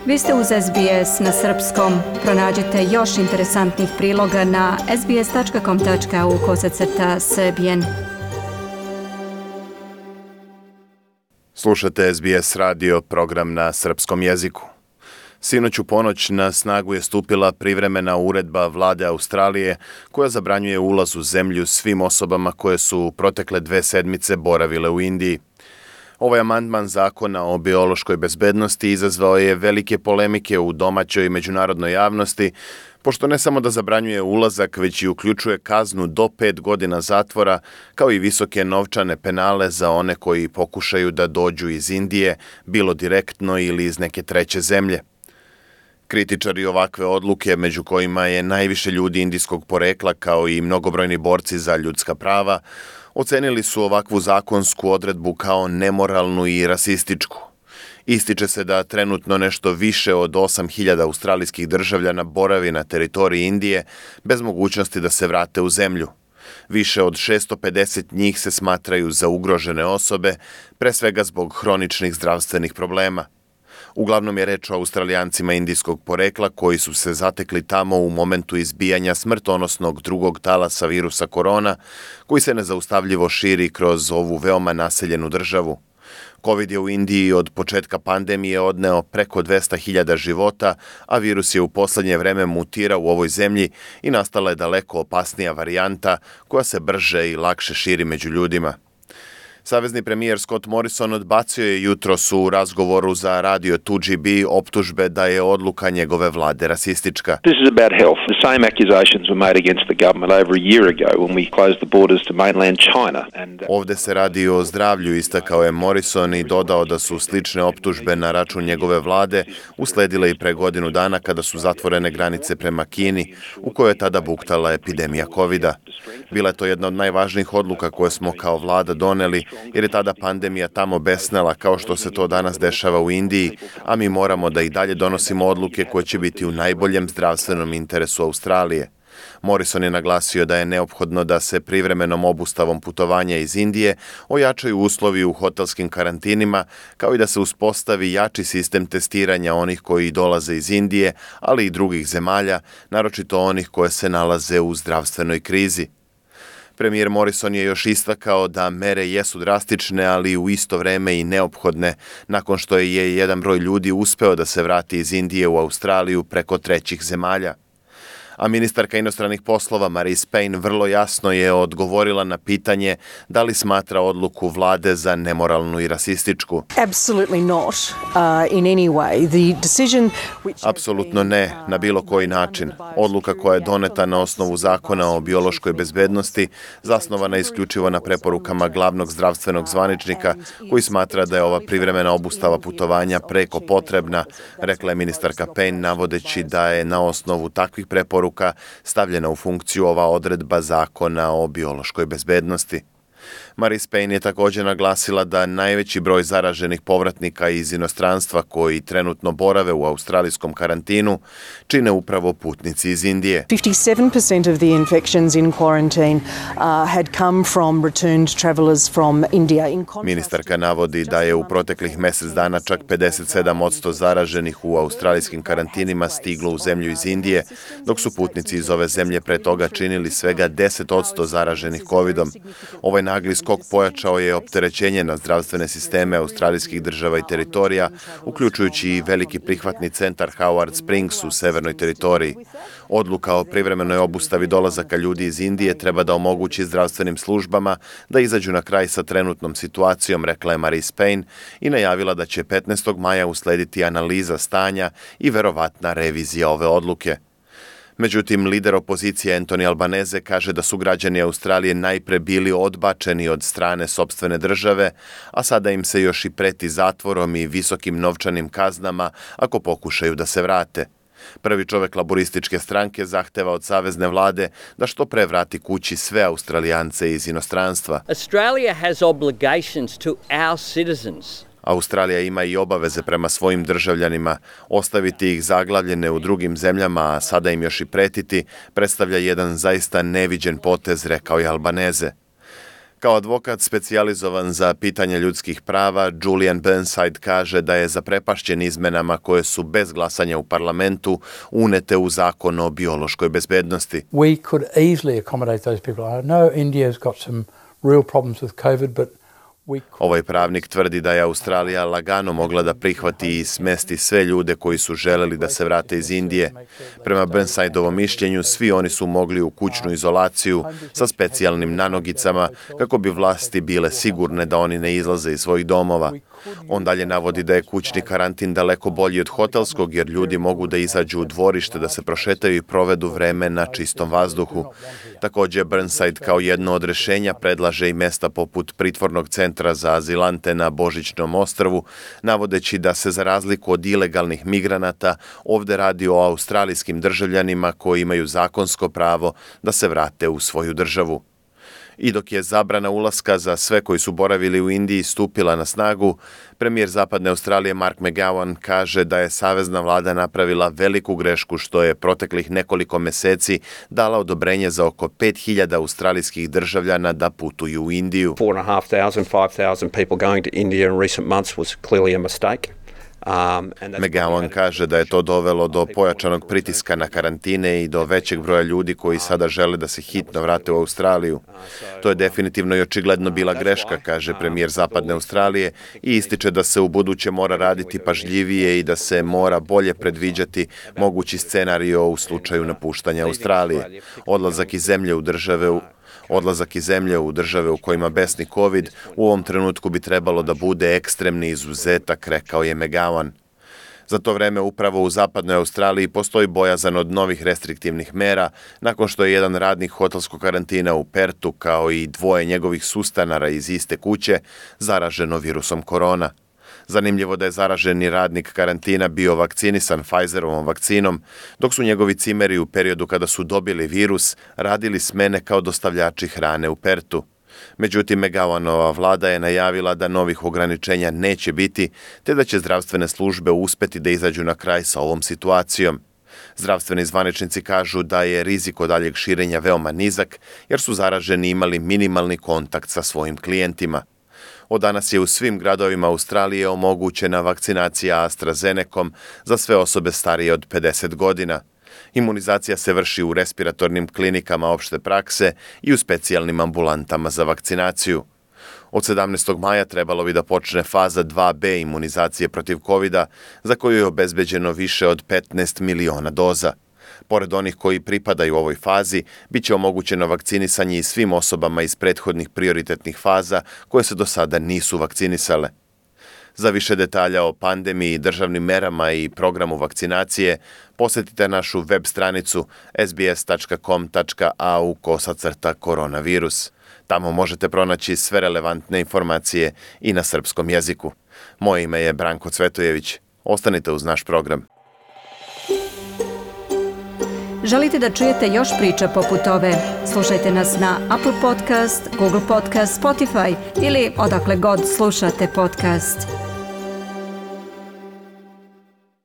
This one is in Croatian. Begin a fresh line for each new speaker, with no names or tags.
Vi ste uz SBS na srpskom. Pronađite još interesantnih priloga na sbs.com.au/srbijen.
Slušate SBS radio, program na srpskom jeziku. Sinoć u ponoć na snagu je stupila privremena uredba vlade Australije koja zabranjuje ulaz u zemlju svim osobama koje su protekle 2 sedmice boravile u Indiji. Ovaj amandman zakona o biološkoj bezbednosti izazvao je velike polemike u domaćoj i međunarodnoj javnosti, pošto ne samo da zabranjuje ulazak, već i uključuje kaznu do 5 godina zatvora, kao i visoke novčane penale za one koji pokušaju da dođu iz Indije, bilo direktno ili iz neke treće zemlje. Kritičari ovakve odluke, među kojima je najviše ljudi indijskog porekla kao i mnogobrojni borci za ljudska prava, ocenili su ovakvu zakonsku odredbu kao nemoralnu i rasističku. Ističe se da trenutno nešto više od 8.000 australijskih državljana boravi na teritoriji Indije bez mogućnosti da se vrate u zemlju. Više od 650 njih se smatraju za ugrožene osobe, pre svega zbog hroničnih zdravstvenih problema. Uglavnom je reč o Australijancima indijskog porekla koji su se zatekli tamo u momentu izbijanja smrtonosnog drugog talasa virusa korona, koji se nezaustavljivo širi kroz ovu veoma naseljenu državu. Covid je u Indiji od početka pandemije odneo preko 200.000 života, a virus je u poslednje vreme mutirao u ovoj zemlji i nastala je daleko opasnija varijanta koja se brže i lakše širi među ljudima. Savezni premijer Scott Morrison odbacio je jutros u razgovoru za radio 2GB optužbe da je odluka njegove vlade rasistička.
This is about health. The same accusations were made against the government over a year ago when we closed the borders to mainland China.
Ovde se radi o zdravlju, istakao je Morrison i dodao da su slične optužbe na račun njegove vlade usledile i pre godinu dana kada su zatvorene granice prema Kini, u kojoj je tada buktala epidemija Covida. Bila je to jedna od najvažnijih odluka koje smo kao vlada doneli, jer je tada pandemija tamo besnela kao što se to danas dešava u Indiji, a mi moramo da i dalje donosimo odluke koje će biti u najboljem zdravstvenom interesu Australije. Morrison je naglasio da je neophodno da se privremenom obustavom putovanja iz Indije ojačaju uslovi u hotelskim karantinima, kao i da se uspostavi jači sistem testiranja onih koji dolaze iz Indije, ali i drugih zemalja, naročito onih koje se nalaze u zdravstvenoj krizi. Premijer Morrison je još istakao da mere jesu drastične, ali u isto vreme i neophodne, nakon što je jedan broj ljudi uspeo da se vrati iz Indije u Australiju preko trećih zemalja. A ministarka inostranih poslova Marise Payne vrlo jasno je odgovorila na pitanje da li smatra odluku vlade za nemoralnu i rasističku. Apsolutno ne, na bilo koji način. Odluka koja je doneta na osnovu zakona o biološkoj bezbednosti zasnovana isključivo na preporukama glavnog zdravstvenog zvaničnika koji smatra da je ova privremena obustava putovanja preko potrebna, rekla je ministarka Payne, navodeći da je na osnovu takvih preporuka stavljena u funkciju ova odredba zakona o biološkoj bezbednosti. Marise Payne je također naglasila da najveći broj zaraženih povratnika iz inostranstva koji trenutno borave u australijskom karantinu čine upravo putnici iz Indije.
57% of the infections in quarantine had come from returned travelers from India.
Ministarka navodi da je u proteklih mjesec dana čak 57% zaraženih u australijskim karantinima stiglo u zemlju iz Indije, dok su putnici iz ove zemlje pre toga činili svega 10% zaraženih covidom. Ovaj nagli skok pojačao je opterećenje na zdravstvene sisteme australijskih država i teritorija, uključujući i veliki prihvatni centar Howard Springs u severnoj teritoriji. Odluka o privremenoj obustavi dolazaka ljudi iz Indije treba da omogući zdravstvenim službama da izađu na kraj sa trenutnom situacijom, rekla je Marise Payne i najavila da će 15. maja uslediti analiza stanja i verovatna revizija ove odluke. Međutim, lider opozicije Anthony Albanese kaže da su građani Australije najpre bili odbačeni od strane sopstvene države, a sada im se još i preti zatvorom i visokim novčanim kaznama ako pokušaju da se vrate. Prvi čovek laborističke stranke zahteva od savezne vlade da što pre vrati kući sve Australijance iz inostranstva.
Australia has obligations to our citizens.
Australija ima i obaveze prema svojim državljanima. Ostaviti ih zaglavljene u drugim zemljama, a sada im još i pretiti, predstavlja jedan zaista neviđen potez, rekao je Albanese. Kao advokat specijalizovan za pitanje ljudskih prava, Julian Burnside kaže da je zaprepašćen izmenama koje su bez glasanja u parlamentu unete u zakon o biološkoj bezbednosti.
We could easily accommodate those people. I know India's got some real problems with COVID, but
Ovaj pravnik tvrdi da je Australija lagano mogla da prihvati i smesti sve ljude koji su želeli da se vrate iz Indije. Prema Burnsideovom mišljenju, svi oni su mogli u kućnu izolaciju sa specijalnim nanogicama kako bi vlasti bile sigurne da oni ne izlaze iz svojih domova. On dalje navodi da je kućni karantin daleko bolji od hotelskog jer ljudi mogu da izađu u dvorište, da se prošetaju i provedu vreme na čistom vazduhu. Također Burnside kao jedno od rješenja predlaže i mesta poput pritvornog centra za azilante na Božićnom ostrvu, navodeći da se za razliku od ilegalnih migranata ovdje radi o australijskim državljanima koji imaju zakonsko pravo da se vrate u svoju državu. I dok je zabrana ulaska za sve koji su boravili u Indiji stupila na snagu, premijer Zapadne Australije Mark McGowan kaže da je savezna vlada napravila veliku grešku što je proteklih nekoliko meseci dala odobrenje za oko 5.000 australijskih državljana da putuju u Indiju.
4,500, 5,000 people going to India in recent months was clearly a mistake.
McGowan kaže da je to dovelo do pojačanog pritiska na karantine i do većeg broja ljudi koji sada žele da se hitno vrate u Australiju. To je definitivno i očigledno bila greška, kaže premijer Zapadne Australije i ističe da se u buduće mora raditi pažljivije i da se mora bolje predviđati mogući scenario u slučaju napuštanja Australije. Odlazak iz zemlje u države u kojima besni COVID u ovom trenutku bi trebalo da bude ekstremni izuzetak, rekao je McGowan. Za to vreme upravo u Zapadnoj Australiji postoji bojazan od novih restriktivnih mera nakon što je jedan radnik hotelskog karantina u Pertu kao i 2 njegovih sustanara iz iste kuće zaraženo virusom korona. Zanimljivo da je zaraženi radnik karantina bio vakcinisan Pfizerovom vakcinom, dok su njegovi cimeri u periodu kada su dobili virus radili smene kao dostavljači hrane u Pertu. Međutim, McGowanova vlada je najavila da novih ograničenja neće biti, te da će zdravstvene službe uspeti da izađu na kraj sa ovom situacijom. Zdravstveni zvaničnici kažu da je rizik od daljeg širenja veoma nizak, jer su zaraženi imali minimalni kontakt sa svojim klijentima. Od danas je u svim gradovima Australije omogućena vakcinacija AstraZenecom za sve osobe starije od 50 godina. Imunizacija se vrši u respiratornim klinikama opšte prakse i u specijalnim ambulantama za vakcinaciju. Od 17. maja trebalo bi da počne faza 2B imunizacije protiv COVID-a, za koju je obezbeđeno više od 15 miliona doza. Pored onih koji pripadaju ovoj fazi, bit će omogućeno vakcinisanje i svim osobama iz prethodnih prioritetnih faza koje se do sada nisu vakcinisale. Za više detalja o pandemiji, državnim merama i programu vakcinacije, posjetite našu web stranicu sbs.com.au/koronavirus. Tamo možete pronaći sve relevantne informacije i na srpskom jeziku. Moje ime je Branko Cvetojević. Ostanite uz naš program.
Želite da čujete još priča poput ove? Slušajte nas na Apple Podcast, Google Podcast, Spotify ili odakle god slušate podcast.